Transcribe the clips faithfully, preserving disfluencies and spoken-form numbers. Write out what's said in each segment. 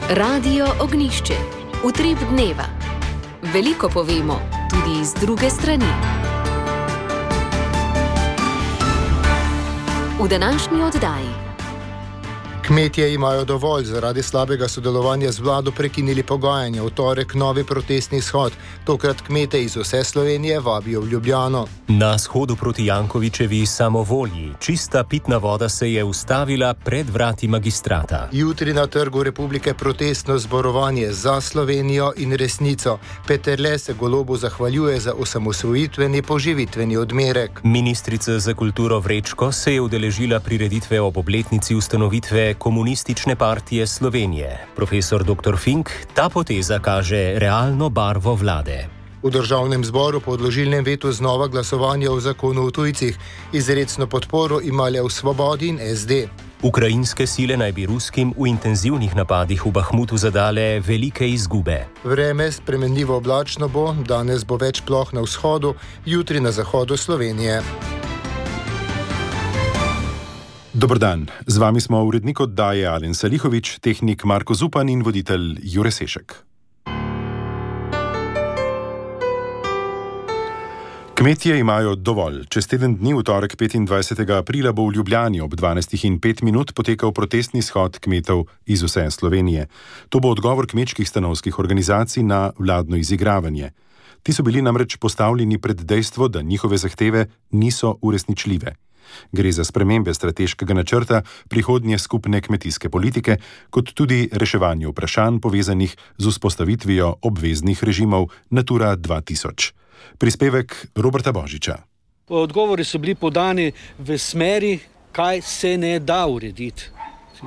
Radio Ognišče, utrip dneva. Veliko povemo, tudi iz druge strani. V današnji oddaji. Kmetje imajo dovolj, zaradi slabega sodelovanja z vlado prekinili pogajanja. V torek novi protestni shod. Tokrat kmete iz vse Slovenije vabijo v Ljubljano. Na shodu proti Jankovićevi samovolji čista pitna voda se je ustavila pred vrati magistrata. Jutri na Trgu Republike protestno zborovanje za Slovenijo in resnico. Peterle se Golobu zahvaljuje za osamosvojitveni poživitveni odmerek. Ministrica za kulturo Vrečko se je udeležila prireditve ob obletnici ustanovitve Komunistične partije Slovenije. Profesor doktor Fink, ta poteza kaže realno barvo vlade. V državnem zboru po odložilnem vetu znova glasovanje o zakonu o tujcih. Izrecno podporo imale v Svobodi in S D. Ukrajinske sile naj bi ruskim v intenzivnih napadih v Bahmutu zadale velike izgube. Vreme spremenljivo oblačno bo, danes bo več ploh na vzhodu, jutri na zahodu Slovenije. Dober dan, z vami smo urednik oddaje Alen Salihović, tehnik Marko Zupan in voditelj Jure Sešek. Kmetje imajo dovolj. Čez teden dni, v torek petindvajsetega aprila, bo v Ljubljani ob dvanajstih in pet minut potekal protestni shod kmetov iz vse Slovenije. To bo odgovor kmečkih stanovskih organizacij na vladno izigravanje. Ti so bili namreč postavljeni pred dejstvo, da njihove zahteve niso uresničljive. Gre za spremembe strateškega načrta prihodnje skupne kmetijske politike, kot tudi reševanje vprašanj povezanih z vzpostavitvijo obveznih režimov Natura dva tisoč. Prispevek Roberta Božiča. Odgovori so bili podani v smeri, kaj se ne da urediti.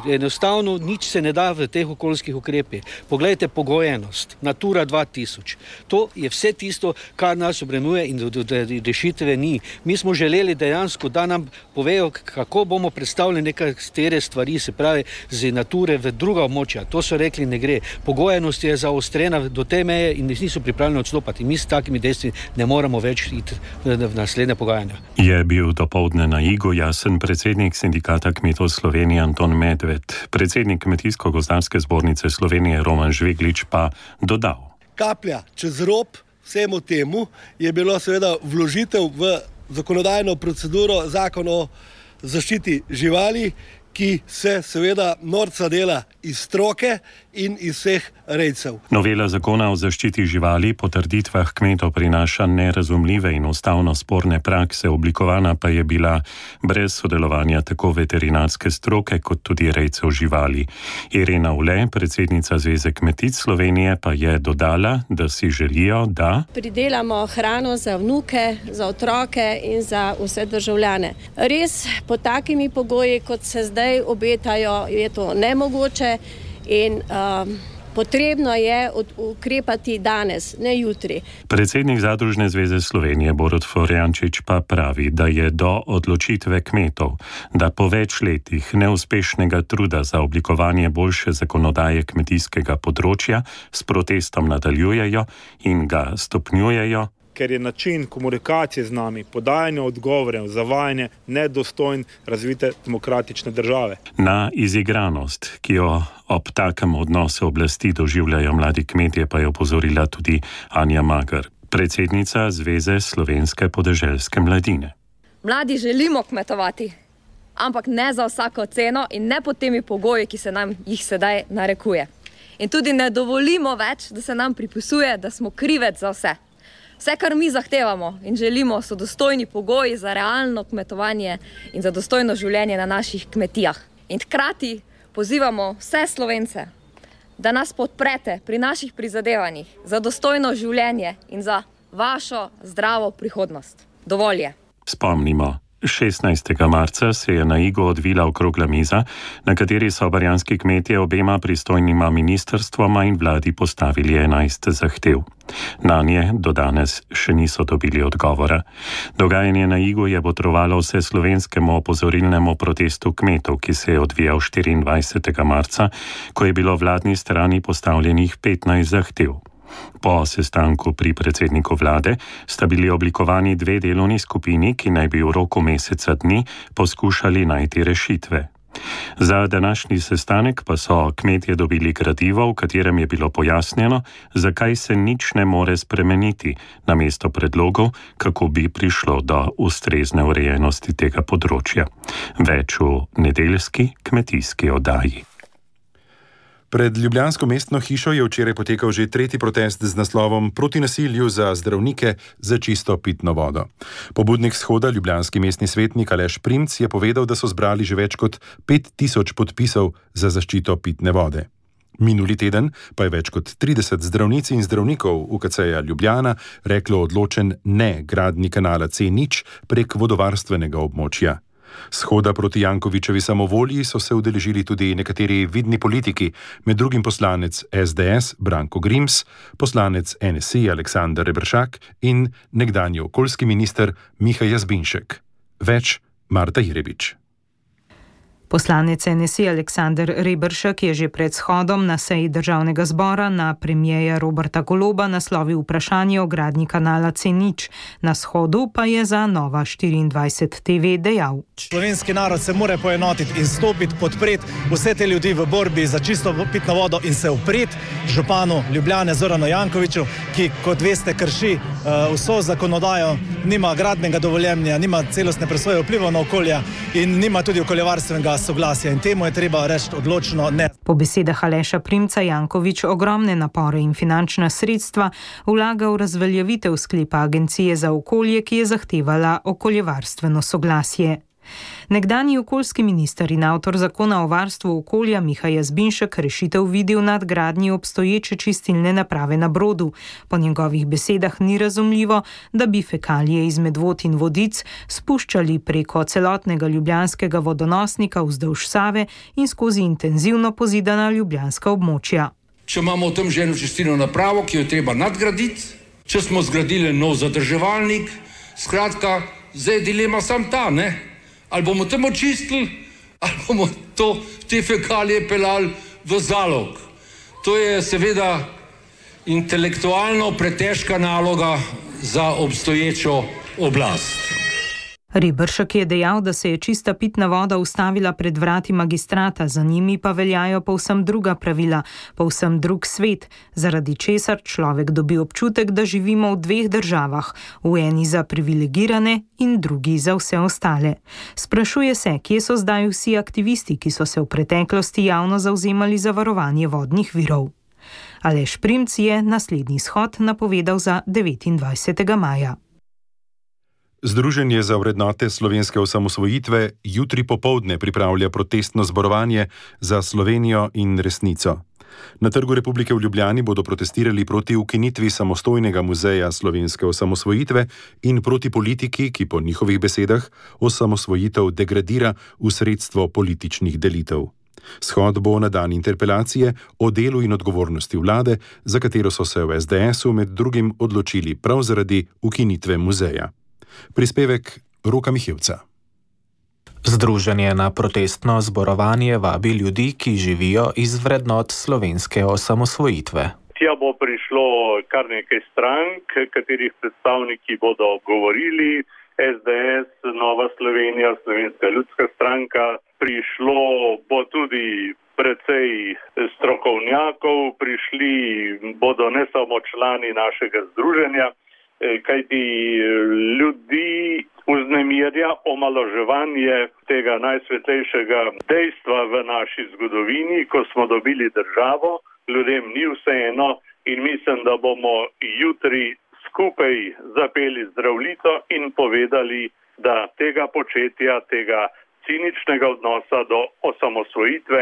Enostavno nič se ne da v teh okoljskih ukrepih. Poglejte pogojenost, Natura dva tisoč. To je vse tisto, kar nas obremenjuje in rešitve ni. Mi smo želeli dejansko, da nam povejo, kako bomo predstavili nekatere stvari, se pravi z Nature v druga območja. To so rekli, ne gre. Pogojenost je zaostrena do te meje in niso pripravljeni odstopati. Mi s takimi dejstvi ne moramo več iti v naslednje pogajanja. Je bil dopoldne na Igu jasen predsednik Sindikata kmetov Slovenije Anton Med. Predsednik Kmetijsko-gozdarske zbornice Slovenije Roman Žveglič pa dodal. Kaplja čez rob vsemu temu je bilo seveda vložitev v zakonodajno proceduro zakon o zaščiti živali, ki se seveda norca dela iz stroke in iz vseh rejcev. Novela zakona o zaščiti živali po trditvah kmetov prinaša nerazumljive in ustavno sporne prakse, oblikovana pa je bila brez sodelovanja tako veterinarske stroke kot tudi rejcev živali. Irena Ule, predsednica Zveze kmetic Slovenije, pa je dodala, da si želijo, da pridelamo hrano za vnuke, za otroke in za vse državljane. Res pod takimi pogoji, kot se zdaj obetajo, je to nemogoče in um, potrebno je ukrepati danes, ne jutri. Predsednik Zadružne zveze Slovenije Borut Florjančič pa pravi, da je do odločitve kmetov, da po več letih neuspešnega truda za oblikovanje boljše zakonodaje kmetijskega področja s protestom nadaljujejo in ga stopnjujejo, ker je način komunikacije z nami, podajanje odgovorov, zavajanje nedostojen razvite demokratične države. Na izigranost, ki jo ob takem odnosu oblasti doživljajo mladi kmetje, pa je opozorila tudi Anja Mager, predsednica Zveze slovenske podeželske mladine. Mladi želimo kmetovati, ampak ne za vsako ceno in ne pod temi pogoji, ki se nam jih sedaj narekuje. In tudi ne dovolimo več, da se nam pripisuje, da smo krivec za vse. Vse, kar mi zahtevamo in želimo, so dostojni pogoji za realno kmetovanje in za dostojno življenje na naših kmetijah. In hkrati pozivamo vse Slovence, da nas podprete pri naših prizadevanjih za dostojno življenje in za vašo zdravo prihodnost. Dovolj je. Spomnimo. šestnajstega marca se je na Igu odvila okrogla miza, na kateri so barjanski kmetje obema pristojnima ministrstvoma in vladi postavili enajst zahtev. Nanje do danes še niso dobili odgovora. Dogajanje na Igu je botrovalo vse slovenskemu opozorilnemu protestu kmetov, ki se je odvijal štiriindvajsetega marca, ko je bilo vladni strani postavljenih petnajst zahtev. Po sestanku pri predsedniku vlade sta bili oblikovani dve delovni skupini, ki naj bi v roku meseca dni poskušali najti rešitve. Za današnji sestanek pa so kmetje dobili gradivo, v katerem je bilo pojasnjeno, zakaj se nič ne more spremeniti, namesto predlogov, kako bi prišlo do ustrezne urejenosti tega področja. Več v nedeljski kmetijski oddaji. Pred ljubljansko mestno hišo je včeraj potekal že tretji protest z naslovom Proti nasilju za zdravnike za čisto pitno vodo. Pobudnik shoda, ljubljanski mestni svetnik Aleš Primc, je povedal, da so zbrali že več kot pet tisoč podpisov za zaščito pitne vode. Minuli teden pa je več kot trideset zdravnic in zdravnikov U K C-ja Ljubljana reklo odločen ne gradnji kanala C nič prek vodovarstvenega območja. Shoda proti Jankovićevi samovolji so se udeležili tudi nekateri vidni politiki, med drugim poslanec S D S Branko Grims, poslanec N S I Aleksander Reberšak in nekdanji okoljski minister Miha Jazbinšek. Več Marta Jirebič. Poslanec N S I Aleksander Reberšek je že pred shodom na seji državnega zbora na premierja Roberta Goloba naslovil vprašanje o gradnji kanala C nič. Na shodu pa je za Nova štiriindvajset T V dejal: Slovenski narod se mora poenotiti in stopiti, podpreti vse te ljudi v borbi za čisto pitno vodo in se upreti županu Ljubljane Zoranu Jankoviću, ki, kot veste, krši uh, vso zakonodajo, nima gradbenega dovoljenja, nima celostne presoje vplivov na okolje in nima tudi okoljevarstvenega soglasja in temu je treba reči odločno ne. Po besedah Aleša Primca Janković ogromne napore in finančna sredstva vlaga v razveljavitev sklepa Agencije za okolje, ki je zahtevala okoljevarstveno soglasje. Nekdanji okoljski minister in avtor zakona o varstvu okolja Miha Jazbinšek rešitev vidi v nadgradnji obstoječe čistilne naprave na Brodu. Po njegovih besedah ni razumljivo, da bi fekalije iz Medvod in Vodic spuščali preko celotnega ljubljanskega vodonosnika vzdolž Save in skozi intenzivno pozidana ljubljanska območja. Če imamo v tem že eno čistilno napravo, ki jo treba nadgraditi, če smo zgradili nov zadrževalnik, skratka, zdaj je dilema sam ta, ne? Ali bomo tam očistili, ali bomo to, te fekalije pelali v zalog. To je seveda intelektualno pretežka naloga za obstoječo oblast. Reberšek je dejal, da se je čista pitna voda ustavila pred vrati magistrata, za njimi pa veljajo povsem druga pravila, povsem drug svet, zaradi česar človek dobi občutek, da živimo v dveh državah, v eni za privilegirane in drugi za vse ostale. Sprašuje se, kje so zdaj vsi aktivisti, ki so se v preteklosti javno zavzemali za varovanje vodnih virov. Aleš Primc je naslednji shod napovedal za devetindvajsetega maja. Združenje za vrednote slovenske osamosvojitve jutri popoldne pripravlja protestno zborovanje za Slovenijo in resnico. Na Trgu Republike v Ljubljani bodo protestirali proti ukinitvi samostojnega muzeja slovenske osamosvojitve in proti politiki, ki po njihovih besedah osamosvojitev degradira v sredstvo političnih delitev. Shod bo na dan interpelacije o delu in odgovornosti vlade, za katero so se v S D S-u med drugim odločili prav zaradi ukinitve muzeja. Prispevek Roka Mihevca. Združenje na protestno zborovanje vabi ljudi, ki živijo iz vrednot slovenske osamosvojitve. Tja bo prišlo kar nekaj strank, katerih predstavniki bodo govorili, S D S, Nova Slovenija, Slovenska ljudska stranka. Prišlo bo tudi precej strokovnjakov, prišli bodo ne samo člani našega združenja, kajti ljudi vznemirja omalovaževanje tega najsvetlejšega dejstva v naši zgodovini, ko smo dobili državo, ljudem ni vseeno in mislim, da bomo jutri skupaj zapeli zdravljico in povedali, da tega početja, tega ciničnega odnosa do osamosvojitve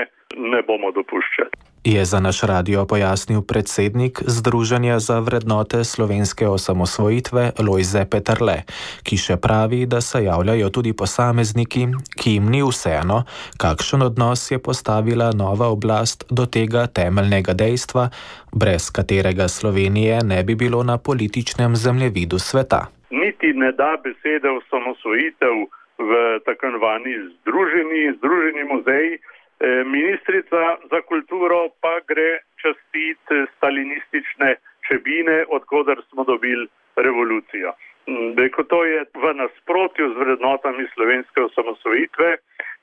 ne bomo dopuščali. Je za naš radio pojasnil predsednik Združenja za vrednote slovenske osamosvojitve Lojze Peterle, ki še pravi, da se javljajo tudi posamezniki, ki jim ni vseeno, kakšen odnos je postavila nova oblast do tega temeljnega dejstva, brez katerega Slovenije ne bi bilo na političnem zemljevidu sveta. Niti ne da besede osamosvojitev v tako imenovani združeni, združeni muzeji. Ministrica za kulturo pa gre častit stalinistične Čebine, odkoder smo dobili revolucijo. To je v nasprotju z vrednotami slovenske osamosvojitve,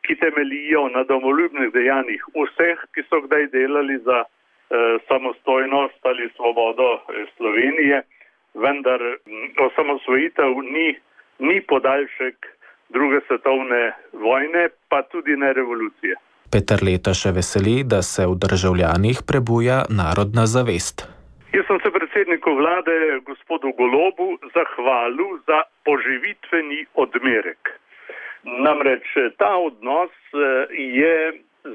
ki temelijo na domoljubnih dejanjih vseh, ki so kdaj delali za eh, samostojnost ali svobodo eh, Slovenije, vendar osamosvojitev ni, ni podaljšek druge svetovne vojne, pa tudi ne revolucije. Peterleta še veseli, da se v državljanih prebuja narodna zavest. Jaz sem se predsedniku vlade, gospodu Golobu, zahvalil za poživitveni odmerek. Namreč ta odnos je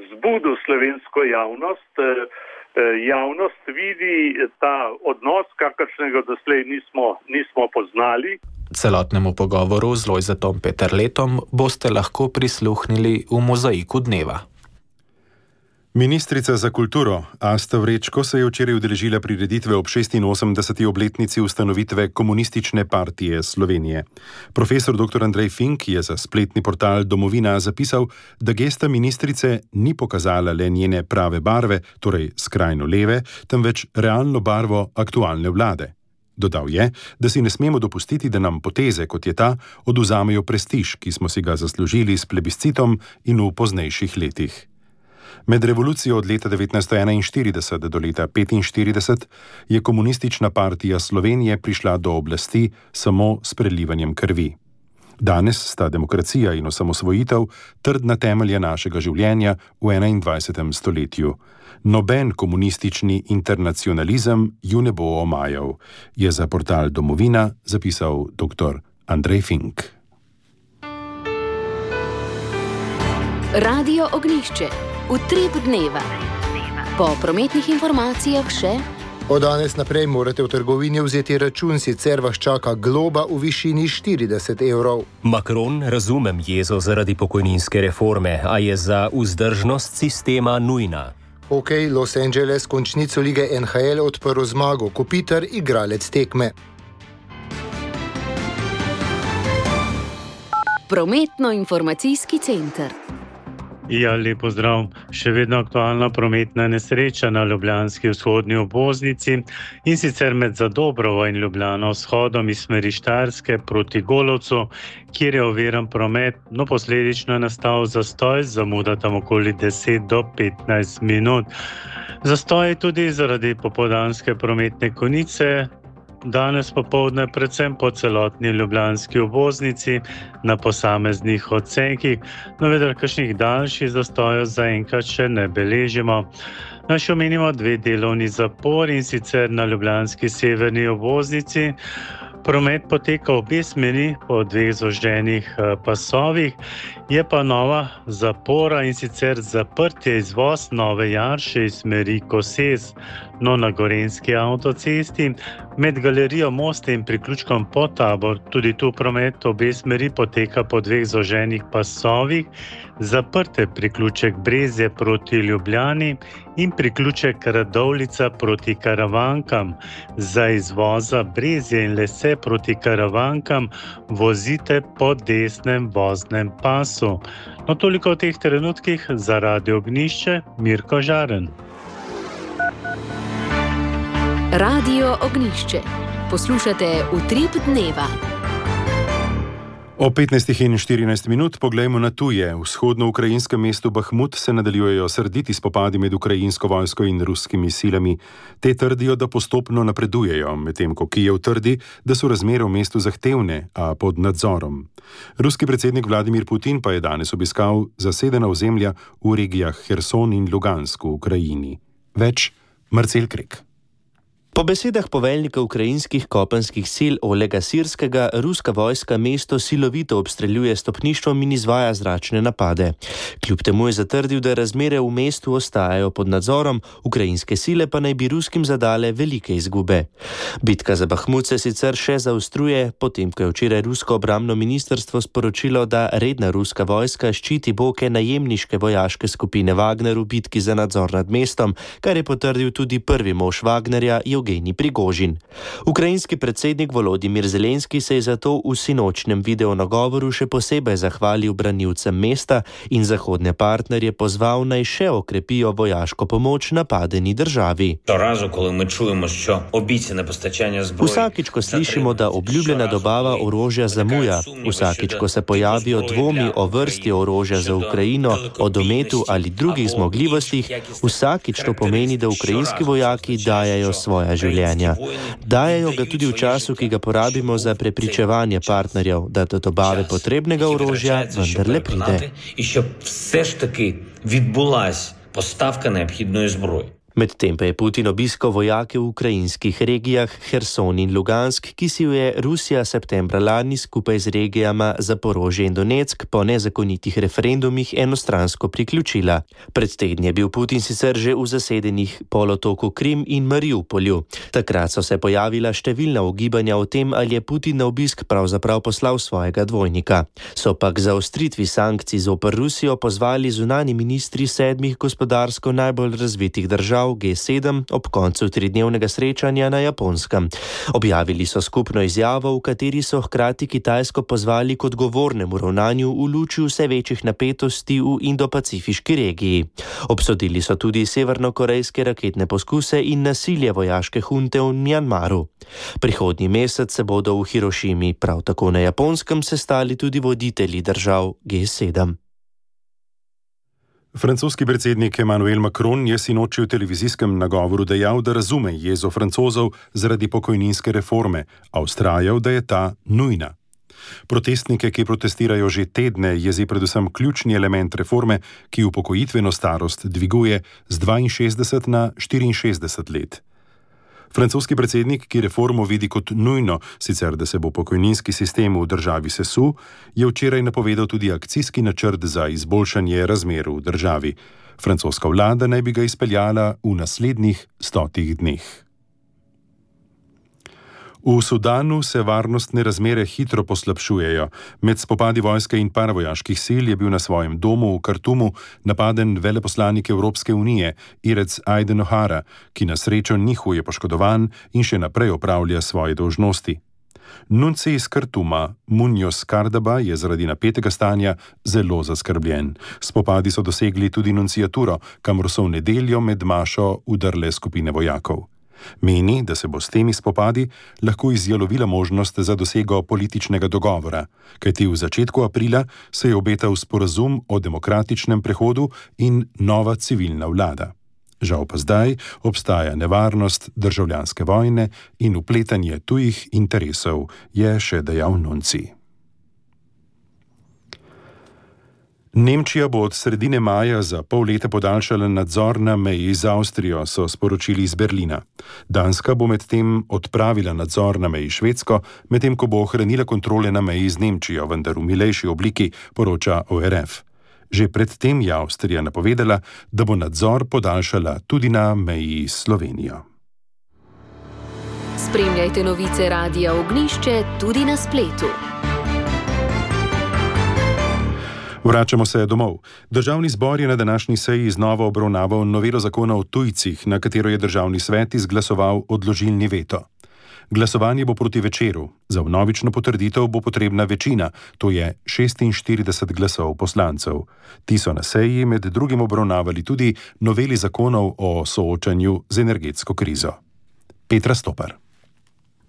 zbudil slovensko javnost. Javnost vidi ta odnos, kakršnega doslej nismo, nismo poznali. Celotnemu pogovoru z Lojzetom Peterletom boste lahko prisluhnili v Mozaiku dneva. Ministrica za kulturo Asta Vrečko se je včeraj udeležila prireditve ob šestinosemdeseti obletnici ustanovitve Komunistične partije Slovenije. Profesor doktor Andrej Fink je za spletni portal Domovina zapisal, da gesta ministrice ni pokazala le njene prave barve, torej skrajno leve, temveč realno barvo aktualne vlade. Dodal je, da si ne smemo dopustiti, da nam poteze, kot je ta, oduzamejo prestiž, ki smo si ga zaslužili s plebiscitom in v poznejših letih. Med revolucijo od leta devetnajststo enainštirideset do leta petinštirideset je Komunistična partija Slovenije prišla do oblasti samo s prelivanjem krvi. Danes sta demokracija in osamosvojitev trdna temelja našega življenja v enaindvajsetem stoletju. Noben komunistični internacionalizem ju ne bo omajal, je za portal Domovina zapisal doktor Andrej Fink. Radio Ognjišče. Utrip dneva. Po prometnih informacijah še: od danes naprej morate v trgovini vzeti račun, sicer vas čaka globa v višini štirideset evrov. Macron, razumem jezo zaradi pokojninske reforme, a je za vzdržnost sistema nujna. Hokej Los Angeles končnico lige N H L odprl zmago, Kopitar igralec tekme. Prometno-informacijski center. Ja, lep pozdrav. Še vedno aktualna prometna nesreča na ljubljanski vzhodni obvoznici in sicer med Zadobrovo in Ljubljano vzhodom iz smeri Štajerske proti Golovcu, kjer je oviran promet, no posledično je nastal zastoj, zamuda tam okoli deset do petnajst minut. Zastoj je tudi zaradi popoldanske prometne konice, danes popoldne predvsem po celotni ljubljanski obvoznici na posameznih odsekih, no vendar kakšnih daljših zastojev zaenkrat še ne beležimo. Naj še omenimo dve delovni zapori, in sicer na ljubljanski severni obvoznici. Promet poteka v obe smeri po dveh zoždenih pasovih, je pa nova zapora, in sicer zaprtje izvoz Nove Jarše iz smeri Koses, no na Gorenjski avtocesti, med galerijo Moste in priključkom Podtabor. Tudi tu promet obe smeri poteka po dveh zoženih pasovih, zaprte priključek Brezje proti Ljubljani in priključek Radovljica proti Karavankam. Za izvoza Brezje in Lese proti Karavankam vozite po desnem voznem pasu. No toliko v teh trenutkih, za Radio Ognjišče, Mirko Žaren. Radio Ognjišče. Poslušate Utrip dneva. O petnajstih in štirinajst minut poglejmo na tuje. V vzhodno-ukrajinskem mestu Bahmut se nadaljujejo srditi spopadi med ukrajinsko vojsko in ruskimi silami. Te trdijo, da postopno napredujejo, medtem ko Kijev trdi, da so razmere v mestu zahtevne, a pod nadzorom. Ruski predsednik Vladimir Putin pa je danes obiskal zasedena ozemlja v regijah Herson in Lugansk v Ukrajini. Več Marcel Krek. Po besedah poveljnika ukrajinskih kopenskih sil Olega Sirskega, ruska vojska mesto silovito obstreljuje stopništvom in izvaja zračne napade. Kljub temu je zatrdil, da razmere v mestu ostajajo pod nadzorom, ukrajinske sile pa naj bi ruskim zadale velike izgube. Bitka za Bahmut se sicer še zaostruje, potem ko je včeraj rusko obrambno ministrstvo sporočilo, da redna ruska vojska ščiti boke najemniške vojaške skupine Wagner v bitki za nadzor nad mestom, kar je potrdil tudi prvi mož Wagnerja, Evgenij Prigožin. Ukrajinski predsednik Volodimir Zelenski se je zato v sinočnem videonagovoru še posebej zahvalil branilcem mesta in zahodne partnerje pozval naj še okrepijo vojaško pomoč napadeni državi. Vsakič, ko slišimo, da obljubljena dobava orožja zamuja, vsakič, ko se pojavijo dvomi o vrsti orožja za Ukrajino, o dometu ali drugih zmogljivostih, vsakič to pomeni, da ukrajinski vojaki dajajo svoja življenja. Dajajo ga tudi v času, ki ga porabimo za prepričevanje partnerjev, da do dobave potrebnega orožja vendarle pride. Medtem pa je Putin obiskal vojake v ukrajinskih regijah Herson in Lugansk, ki si jo je Rusija septembra lani skupaj z regijama Zaporožje in Donetsk po nezakonitih referendumih enostransko priključila. Pred tedni je bil Putin sicer že v zasedenih polotoku Krim in Mariupolju. Takrat so se pojavila številna ugibanja o tem, ali je Putin na obisk pravzaprav poslal svojega dvojnika. So pa k zaostritvi sankcij zoper Rusijo pozvali zunanji ministri sedmih gospodarsko najbolj razvitih držav G sedem ob koncu tridnevnega srečanja na Japonskem. Objavili so skupno izjavo, v kateri so hkrati Kitajsko pozvali k odgovornemu ravnanju v luči vse večjih napetosti v Indo-Pacifiški regiji. Obsodili so tudi severnokorejske raketne poskuse in nasilje vojaške hunte v Mjanmaru. Prihodnji mesec se bodo v Hirošimi, prav tako na Japonskem, sestali tudi voditelji držav G sedem. Francoski predsednik Emmanuel Macron je sinoči v televizijskem nagovoru dejal, da razume jezo Francozov zaradi pokojninske reforme, a vztrajal, da je ta nujna. Protestnike, ki protestirajo že tedne, jezi predvsem ključni element reforme, ki upokojitveno starost dviguje z dvainšestdeset na štiriinšestdeset let. Francoski predsednik, ki reformo vidi kot nujno, sicer da se bo pokojninski sistem v državi sesul, je včeraj napovedal tudi akcijski načrt za izboljšanje razmer v državi. Francoska vlada naj bi ga izpeljala v naslednjih stotih dneh. V Sudanu se varnostne razmere hitro poslabšujejo. Med spopadi vojske in paravojaških sil je bil na svojem domu v Kartumu napaden veleposlanik Evropske unije, Irec Aiden O'Hara, ki na srečo ni huje poškodovan in še naprej opravlja svoje dolžnosti. Nunci iz Kartuma, Munoz Cardaba, je zaradi napetega stanja zelo zaskrbljen. Spopadi so dosegli tudi nunciaturo, kamor so v nedeljo med mašo udrle skupine vojakov. Meni, da se bo s temi spopadi lahko izjalovila možnost za dosego političnega dogovora, kajti v začetku aprila se je obetal sporazum o demokratičnem prehodu in nova civilna vlada. Žal pa zdaj obstaja nevarnost državljanske vojne in vpletanje tujih interesov, je še dejal Nunci. Nemčija bo od sredine maja za pol leta podaljšala nadzor na meji z Avstrijo, so sporočili iz Berlina. Danska bo medtem odpravila nadzor na meji s Švedsko, medtem ko bo ohranila kontrole na meji z Nemčijo, vendar v milejši obliki, poroča O R F. Že predtem je Avstrija napovedala, da bo nadzor podaljšala tudi na meji s Slovenijo. Spremljajte novice Radia Ognjišče tudi na spletu. Vračamo se domov. Državni zbor je na današnji seji znova obravnaval novelo zakona o tujcih, na katero je državni svet izglasoval odložilni veto. Glasovanje bo proti večeru. Za vnovično potrditev bo potrebna večina, to je šestinštirideset glasov poslancev. Ti so na seji med drugim obravnavali tudi noveli zakonov o soočanju z energetsko krizo. Petra Stopar.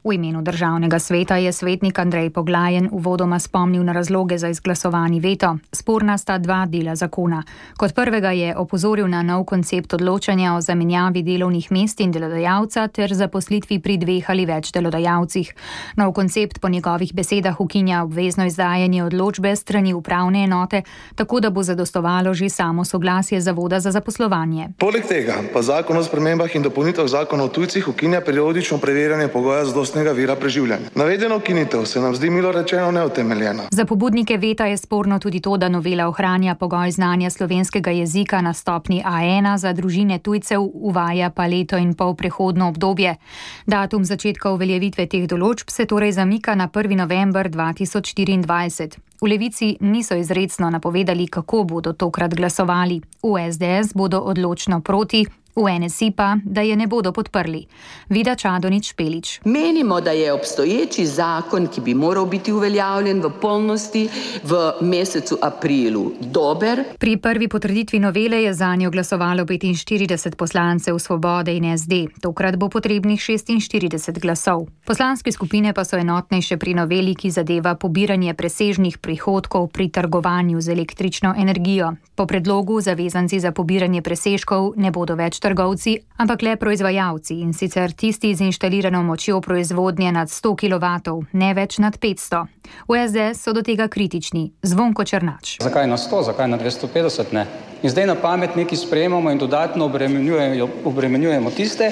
V imenu državnega sveta je svetnik Andrej Poglajen uvodoma spomnil na razloge za izglasovani veto. Sporna sta dva dela zakona. Kot prvega je opozoril na nov koncept odločanja o zamenjavi delovnih mest in delodajalca ter zaposlitvi pri dveh ali več delodajalcih. Nov koncept po njegovih besedah ukinja obvezno izdajanje odločbe strani upravne enote, tako da bo zadostovalo že samo soglasje Zavoda za zaposlovanje. Poleg tega pa zakon o spremembah in dopolnitvah zakona o tujcih ukinja periodično preverjanje pogoja zadostnega vira preživljanja. Navedeno ukinitev se nam zdi milo rečeno neutemeljena. Za pobudnike veta je sporno tudi to, da novela ohranja pogoj znanja slovenskega jezika na stopni A ena, za družine tujcev uvaja pa leto in pol prehodno obdobje. Datum začetka uveljavitve teh določb se torej zamika na prvi november dva tisoč štiriindvajset. V Levici niso izrecno napovedali, kako bodo tokrat glasovali. V S D S bodo odločno proti, V N S I pa, da je ne bodo podprli. Vida Čadonič Špelič. Menimo, da je obstoječi zakon, ki bi moral biti uveljavljen v polnosti v mesecu aprilu, dober. Pri prvi potrditvi novele je zanjo glasovalo petinštirideset poslancev Svobode in S D. Tokrat bo potrebnih šestinštirideset glasov. Poslanske skupine pa so enotnejše pri noveli, ki zadeva pobiranje presežnih prihodkov pri trgovanju z električno energijo. Po predlogu zavezanci za pobiranje presežkov ne bodo več trgovci, ampak le proizvajalci, in sicer tisti z inštalirano močjo proizvodnje nad sto kilovatov, ne več nad petsto. V S D so do tega kritični. Zvonko Černač. Zakaj na sto, zakaj na dvesto petdeset ne? In zdaj na pamet nekaj sprejemamo in dodatno obremenjujemo, obremenjujemo tiste,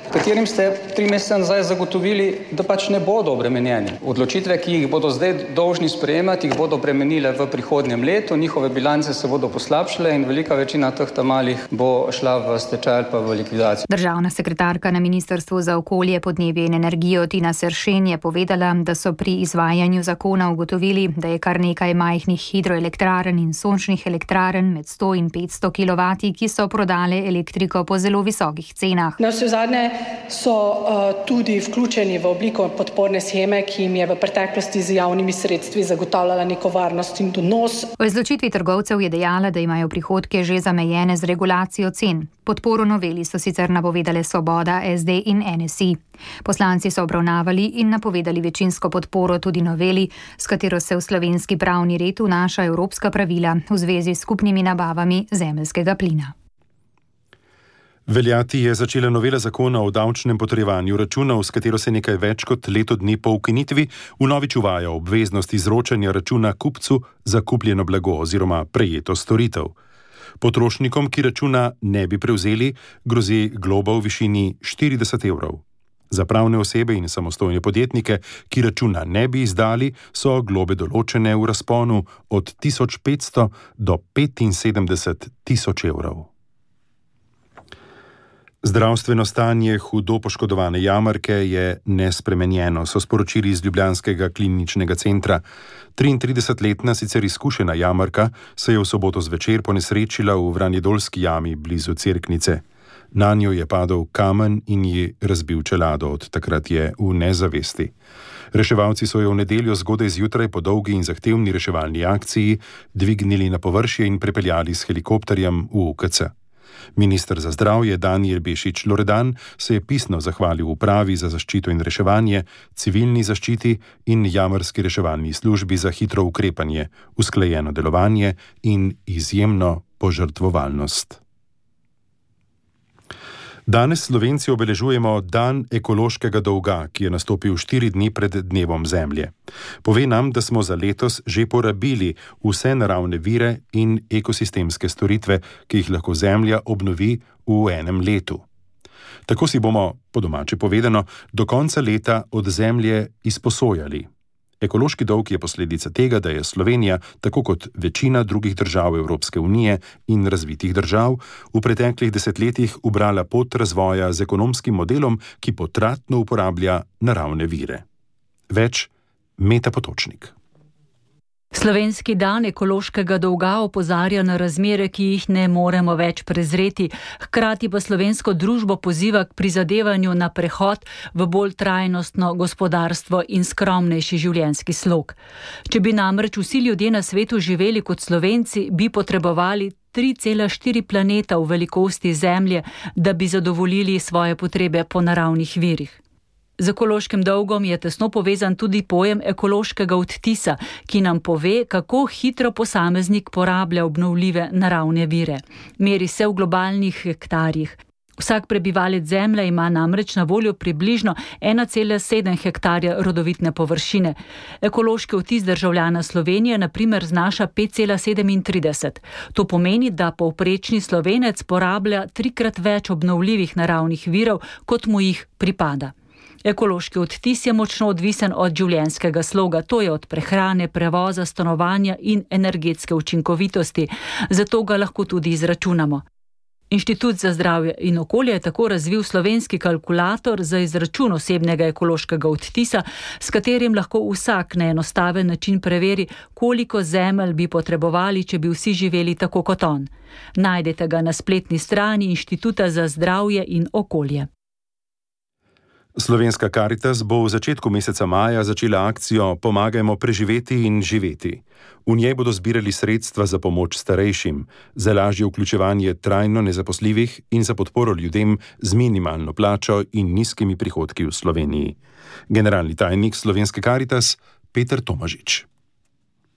katerim ste tri mesece nazaj zagotovili, da pač ne bodo obremenjeni. Odločitve, ki jih bodo zdaj dolžni sprejemati, jih bodo bremenile v prihodnjem letu, njihove bilance se bodo poslabšale in velika večina teh tamalih bo šla v stečaj ali pa v likvidacijo. Državna sekretarka na Ministrstvu za okolje, podnebje in energijo Tina Seršen je povedala, da so pri izvajanju zakona ugotovili, da je kar nekaj majhnih hidroelektrarn in sončnih elektrarn med sto in petsto kilovati, ki so prodale elektriko po zelo visokih cenah. Navsezadnje so uh, tudi vključeni v obliko podporne sheme, ki jim je v preteklosti z javnimi sredstvi zagotavljala neko varnost in donos. V izločitvi trgovcev je dejala, da imajo prihodke že zamejene z regulacijo cen. Podporo noveli so sicer napovedale Svoboda, S D in N S I. Poslanci so obravnavali in napovedali večinsko podporo tudi noveli, s katero se v slovenski pravni red vnaša evropska pravila v zvezi s skupnimi nabavami zemeljskega plina. Veljati je začela novela zakona o davčnem potrjevanju računov, s katero se nekaj več kot leto dni po ukinitvi vnovič uvaja obveznost izročanja računa kupcu za kupljeno blago oziroma prejeto storitev. Potrošnikom, ki računa ne bi prevzeli, grozi globa v višini štirideset evrov. Za pravne osebe in samostojne podjetnike, ki računa ne bi izdali, so globe določene v razponu od tisoč petsto do petinsedemdeset tisoč evrov. Zdravstveno stanje hudo poškodovane jamarke je nespremenjeno, so sporočili iz ljubljanskega kliničnega centra. triintridesetletna sicer izkušena jamarka se je v soboto zvečer ponesrečila v Vranjedolski jami blizu Cerknice. Nanjo je padel kamen in ji razbil čelado, od takrat je v nezavesti. Reševalci so jo v nedeljo zgodaj zjutraj po dolgi in zahtevni reševalni akciji dvignili na površje in prepeljali s helikopterjem v U K C. Minister za zdravje Danijel Bešič Loredan se je pisno zahvalil upravi za zaščito in reševanje, civilni zaščiti in jamarski reševalni službi za hitro ukrepanje, usklajeno delovanje in izjemno požrtvovalnost. Danes Slovenci obeležujemo Dan ekološkega dolga, ki je nastopil štiri dni pred dnevom Zemlje. Pove nam, da smo za letos že porabili vse naravne vire in ekosistemske storitve, ki jih lahko Zemlja obnovi v enem letu. Tako si bomo, po domače povedano, do konca leta od Zemlje izposojali. Ekološki dolg je posledica tega, da je Slovenija, tako kot večina drugih držav Evropske unije in razvitih držav, v preteklih desetletjih ubrala pot razvoja z ekonomskim modelom, ki potratno uporablja naravne vire. Več Meta Potočnik. Slovenski dan ekološkega dolga opozarja na razmere, ki jih ne moremo več prezreti, hkrati pa slovensko družbo poziva k prizadevanju na prehod v bolj trajnostno gospodarstvo in skromnejši življenjski slog. Če bi namreč vsi ljudje na svetu živeli kot Slovenci, bi potrebovali tri cela štiri planeta v velikosti Zemlje, da bi zadovoljili svoje potrebe po naravnih virih. Z ekološkim dolgom je tesno povezan tudi pojem ekološkega odtisa, ki nam pove, kako hitro posameznik porablja obnovljive naravne vire. Meri se v globalnih hektarjih. Vsak prebivalec Zemlje ima namreč na voljo približno ena cela sedem hektarja rodovitne površine. Ekološki odtis državljana Slovenije na primer znaša pet cela sedemintrideset. To pomeni, da povprečni Slovenec porablja trikrat več obnovljivih naravnih virov, kot mu jih pripada. Ekološki odtis je močno odvisen od življenjskega sloga, to je od prehrane, prevoza, stanovanja in energetske učinkovitosti, zato ga lahko tudi izračunamo. Inštitut za zdravje in okolje je tako razvil slovenski kalkulator za izračun osebnega ekološkega odtisa, s katerim lahko vsak na enostaven način preveri, koliko zemelj bi potrebovali, če bi vsi živeli tako kot on. Najdete ga na spletni strani Inštituta za zdravje in okolje. Slovenska Karitas bo v začetku meseca maja začela akcijo Pomagajmo preživeti in živeti. V njej bodo zbirali sredstva za pomoč starejšim, za lažje vključevanje trajno nezaposljivih in za podporo ljudem z minimalno plačo in nizkimi prihodki v Sloveniji. Generalni tajnik Slovenske Karitas Peter Tomažič.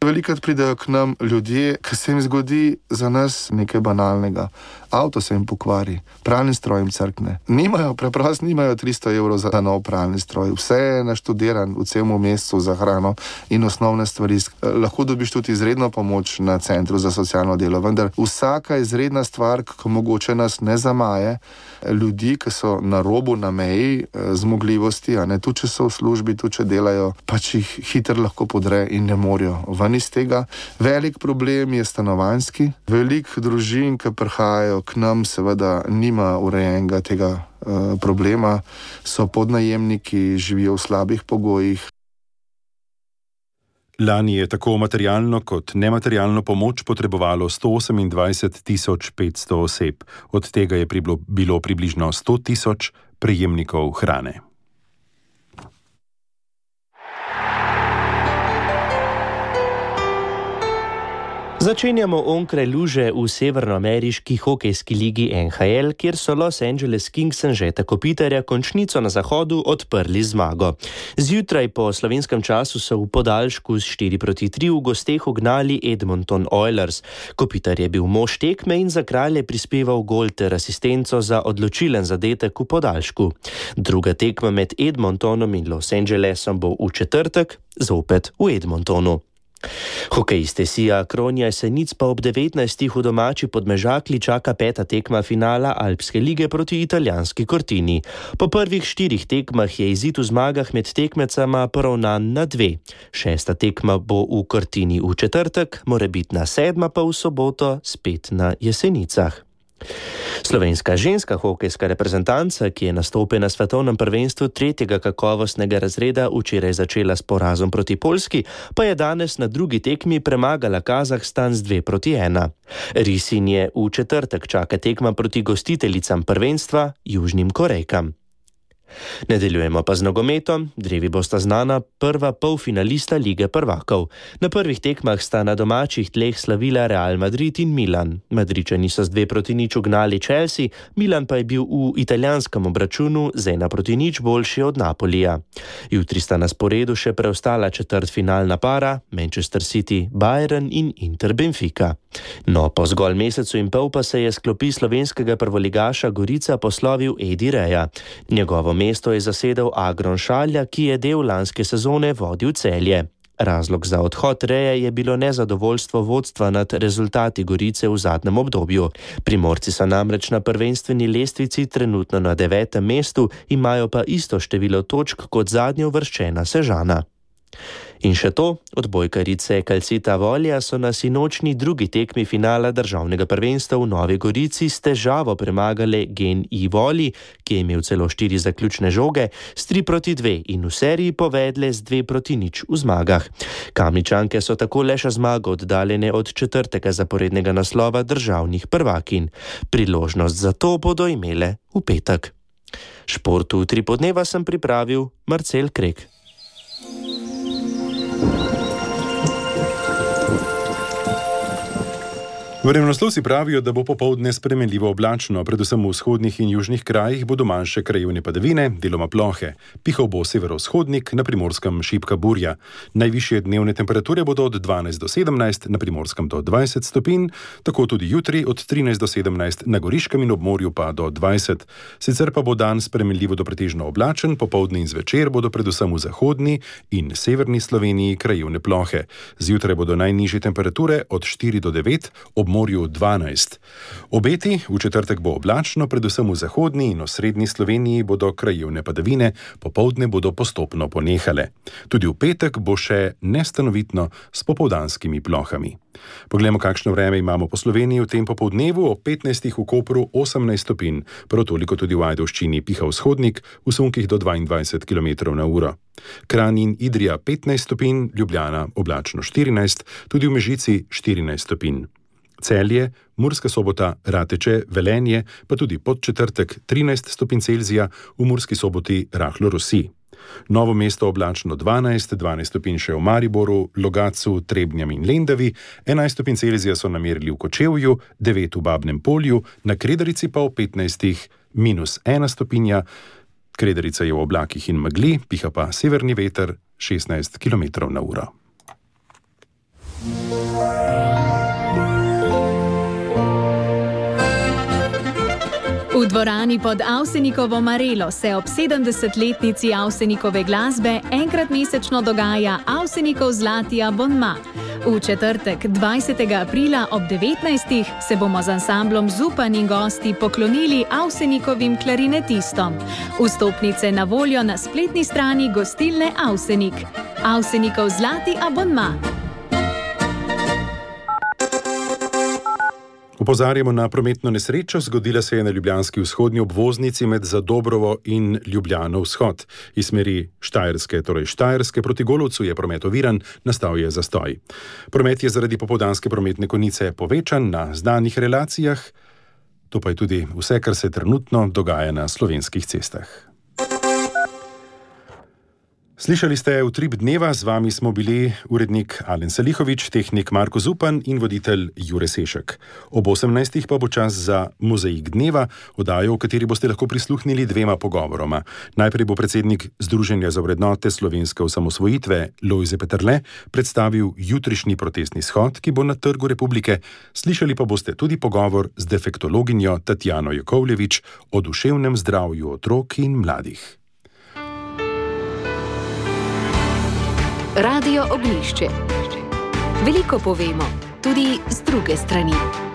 Velikokrat pridejo k nam ljudje, ki se jim zgodi za nas nekaj banalnega. Avto se jim pokvari, pralni stroj jim crkne. Nimajo, preprosto nimajo tristo evrov za nov pralni stroj. Vse je naštudiran v celem mesecu za hrano in osnovne stvari. Lahko dobiš tudi izredno pomoč na centru za socialno delo, vendar vsaka izredna stvar, ki mogoče nas ne zamaje, ljudi, ki so na robu, na meji zmogljivosti, a ne, tudi če so v službi, tudi če delajo, pač jih hitro lahko podre in ne morejo ven iz tega. Velik problem je stanovanjski. Veliko družin, ki prihajajo k nam, seveda nima urejenega tega uh, problema. So podnajemniki, živijo v slabih pogojih. Lani je tako materialno kot nematerialno pomoč potrebovalo sto osemindvajset tisoč petsto oseb. Od tega je bilo približno sto tisoč prejemnikov hrane. Začenjamo onkraj luže v severnoameriški hokejski ligi N H L, kjer so Los Angeles Kings Anžeta Kopitarja končnico na zahodu odprli zmago. Zjutraj po slovenskem času so v podaljšku s štiri proti tri v gosteh ugnali Edmonton Oilers. Kopitar je bil mož tekme in za Kralje prispeval gol ter asistenco za odločilen zadetek v podaljšku. Druga tekma med Edmontonom in Los Angelesom bo v četrtek, zopet v Edmontonu. Hokejiste Sija Kronja Jesenic pa ob devetnajstih v domači Podmežakli čaka peta tekma finala Alpske lige proti italijanski Cortini. Po prvih štirih tekmah je izid v zmagah med tekmecama poravnan na dve. Šesta tekma bo v Cortini v četrtek, morebitna sedma pa v soboto spet na Jesenicah. Slovenska ženska hokejska reprezentanca, ki je nastopila na svetovnem prvenstvu tretjega kakovostnega razreda, včeraj začela s porazom proti Poljski, pa je danes na drugi tekmi premagala Kazahstan z dve proti ena. Risin je v četrtek čaka tekma proti gostiteljicam prvenstva, Južnim Korejkam. Nadaljujemo pa z nogometom. Drevi bosta znana prva polfinalista Lige prvakov. Na prvih tekmah sta na domačih tleh slavila Real Madrid in Milan. Madridčani so z dve proti nič ugnali Chelsea, Milan pa je bil v italijanskem obračunu z ena proti nič boljši od Napolija. Jutri sta na sporedu še preostala četrtfinalna para, Manchester City, Bayern in Inter Benfica. No, po zgolj mesecu in pol pa se je s klopi slovenskega prvoligaša Gorica poslovil Edi Reja. Njegovo mesto je zasedel Agron Šalja, ki je del lanske sezone vodil Celje. Razlog za odhod Reje je bilo nezadovoljstvo vodstva nad rezultati Gorice v zadnjem obdobju. Primorci so namreč na prvenstveni lestvici trenutno na devetem mestu, imajo pa isto število točk kot zadnje uvrščena Sežana. In še to, odbojkarice Calcita Volja so na sinočni drugi tekmi finala državnega prvenstva v Novi Gorici s težavo premagale Gen I Voli, ki je imel celo štiri zaključne žoge, s tri proti dve in v seriji povedle z dve proti nič v zmagah. Kamničanke so tako le še zmago oddaljene od četrtega zaporednega naslova državnih prvakinj. Priložnost za to bodo imele v petek. Športu tri podneva sem pripravil Marcel Krek. Vremenoslovci pravijo, da bo popoldne spremenljivo oblačno, predvsem v vzhodnih in južnih krajih bodo manjše krajevne padavine, deloma plohe. Pihal bo severovzhodnik, na Primorskem šibka burja. Najvišje dnevne temperature bodo od dvanajst do sedemnajst, na Primorskem do dvajset stopinj, tako tudi jutri od trinajst do sedemnajst, na Goriškem in obmorju pa do dvajset. Sicer pa bo dan spremenljivo do pretežno oblačen, popoldne in zvečer bodo predvsem v zahodni in severni Sloveniji krajevne plohe. Zjutraj bodo najnižje temperature od štiri do devet, ob Primorju dvanajst. Obeti v četrtek bo oblačno, predvsem v zahodni in osrednji Sloveniji bodo krajevne padavine, popoldne bodo postopno ponehale. Tudi v petek bo še nestanovitno s popoldanskimi plohami. Poglejmo, kakšno vreme imamo po Sloveniji v tem popoldnevu. Ob petnajstih v Kopru osemnajst stopinj, prav toliko tudi v Ajdovščini piha vzhodnik, v sunkih do dvaindvajset kilometrov na uro. Kranj in Idrija petnajst stopinj, Ljubljana oblačno štirinajst, tudi v Mežici štirinajst stopinj. Celje, Murska Sobota, Rateče, Velenje, pa tudi Podčetrtek trinajst stopinj Celzija, v Murski Soboti rahlo rosi. Novo Mesto oblačno dvanajst, dvanajst stopinj še v Mariboru, Logatcu, Trebnjem in Lendavi, enajst stopinj Celzija so namerili v Kočevju, devet v Babnem Polju, na Kredarici pa v petnajstih minus ena stopinja. Kredarica je v oblakih in megli, piha pa severni veter šestnajst kilometrov na uro. V dvorani pod Avsenikovo Marelo se ob sedemdesetletnici Avsenikove glasbe enkrat mesečno dogaja Avsenikov zlati abonma. V četrtek, dvajsetega aprila ob devetnajstih se bomo z ansamblom Zupan in gosti poklonili Avsenikovim klarinetistom. Vstopnice na voljo na spletni strani gostilne Avsenik. Avsenikov zlati abonma. Opozarjamo na prometno nesrečo, zgodila se je na ljubljanski vzhodni obvoznici med Zadobrovo in Ljubljano vzhod. Iz smeri Štajerske, torej Štajerske proti Golovcu je promet oviran, nastal je zastoj. Promet je zaradi popoldanske prometne konice povečan na znanih relacijah. To pa je tudi vse, kar se trenutno dogaja na slovenskih cestah. Slišali ste Utrip dneva, z vami smo bili urednik Alen Salihovič, tehnik Marko Zupan in voditelj Jure Sešek. Ob osemnajstih pa bo čas za Mozaik dneva, oddajo, v kateri boste lahko prisluhnili dvema pogovoroma. Najprej bo predsednik Združenja za vrednote slovenske osamosvojitve Lojze Peterle predstavil jutrišnji protestni shod, ki bo na Trgu Republike. Slišali pa boste tudi pogovor z defektologinjo Tatjano Jakovljevič o duševnem zdravju otrok in mladih. Radio Oglišče. Veliko povemo, tudi z druge strani.